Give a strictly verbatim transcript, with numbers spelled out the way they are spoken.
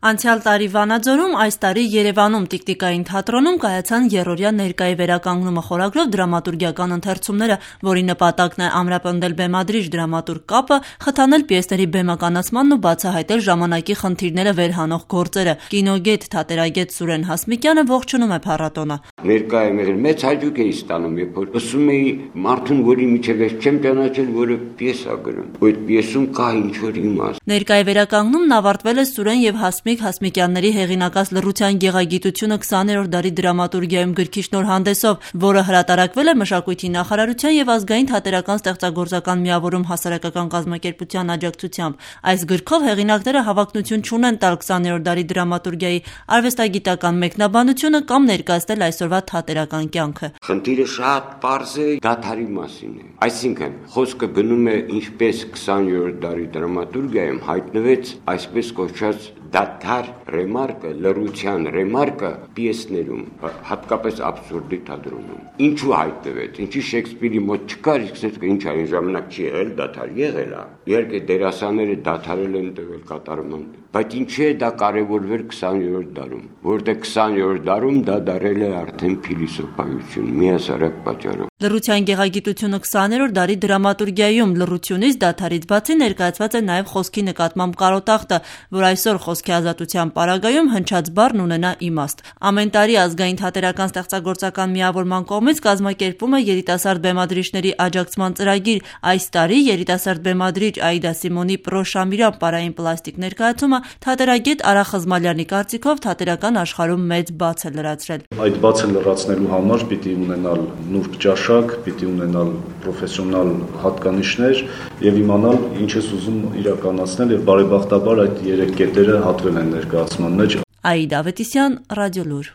Անցյալ տարի Վանաձորում, այս տարի Երևանում տիկտիկային թատրոնում կայացան եռօրյա ներկայի վերականգնումը խորագրով դրամատուրգիական ընթերցումները, որի նպատակն է ամրապնդել բեմադրիչ դրամատուրգ կապը, խթանել պիեսների բեմականացմանն ու բացահայտել ժամանակի խնդիրները վերհանող գործերը։ Կինոգետ, թատերագետ Սուրեն Հասմիկյանը ողջունում է փառատոնը։ Ներկա եմ եղել, մեծ հաճույք էի ստանում, երբ որ լսում էի մարդուն, որի միջև ես չեմ ճանաչել, որը պիես է գրում, ու այդ պիեսում կա ինչ-որ իմաստ։ Ներկայի վերականգնումն ավարտվել է Սուրեն եւ Հասմիկ Հասմիկյանների հեղինակած «Լռության գեղագիտությունը քսաներորդ դարի դրամատուրգիայում» գրքի շնորհանդեսով, որը հրատարակվել է Մշակույթի նախարարության եւ Ազգային թատերական ստեղծագործական միավորում հասարակական կազմակերպության աջակցությամբ։ Այս գրքով հեղինակները հավակնություն չունեն տալ քսաներորդ դարի դրամատուրգիայի արվեստագիտական մեկնաբանությունը կամ ներկայացնել այսօրվա թատերական կյանքը։ Խնդիրը շատ պարզ է, դադարի մասին է։ Այսինքն, խոսքը գնում է ինչպես քսաներորդ դարի դրամատուրգիայում հայտնվեց այսպես կոչված դադար ռեմարկը, լռության ռեմարկը պիեսներում, հատկապես աբսուրդի թատրոնում։ Ինչու հայտնվեց, ինչի Շեքսպիրի մոտ չկար, իսկ ինչ այն ժամանակ չի եղել, դադար եղել է։ Իհարկե դերասանները դադարել են տվել կատարման, բայց ինչի է դա կարևորվել քսաներորդ դարում, որտեղ քսաներորդ դարում դա դարել է արդեն փիլիսոփայություն, միասարակ պատճառով։ Լռության գեղագիտությունը քսաներորդ դարի դրամատուրգիայում լռությունից դադարից բացի ներկայացված է նաև խոսքի նկատմամբ կարոտախտը, որ այսօր խոսքի ազատության պարագայում հնչած բառն ունենա իմաստ։ Ամեն տարի Ազգային թատերական ստեղծագործական միավորման կողմից կազմակերպվում է երիտասարդ բեմադրիչների աջակցման ծրագիր։ Այս տարի երիտասարդ բեմադրիչ Աիդա Սիմոնի «Պրոշամիրան» պարային պլաստիկ ներկայացումը թատերագետ Արա Խզմալյանի կարծիքով թատերական աշխարհում մեծ բաց է լրացրել։ Այդ բացը լրացնելու համար պիտի ունենալ նուրբ ճաշակ, պիտի ունենալ պրոֆեսիոնալ հատկանիշներ եւ իմանալ ինչ ես ուզում իրականացնել եւ բարեբախտաբար այդ երեք կետերը հատվել են ներկայացման մեջ։ Աիդա Ավետիսյան, Ռադիոլուր։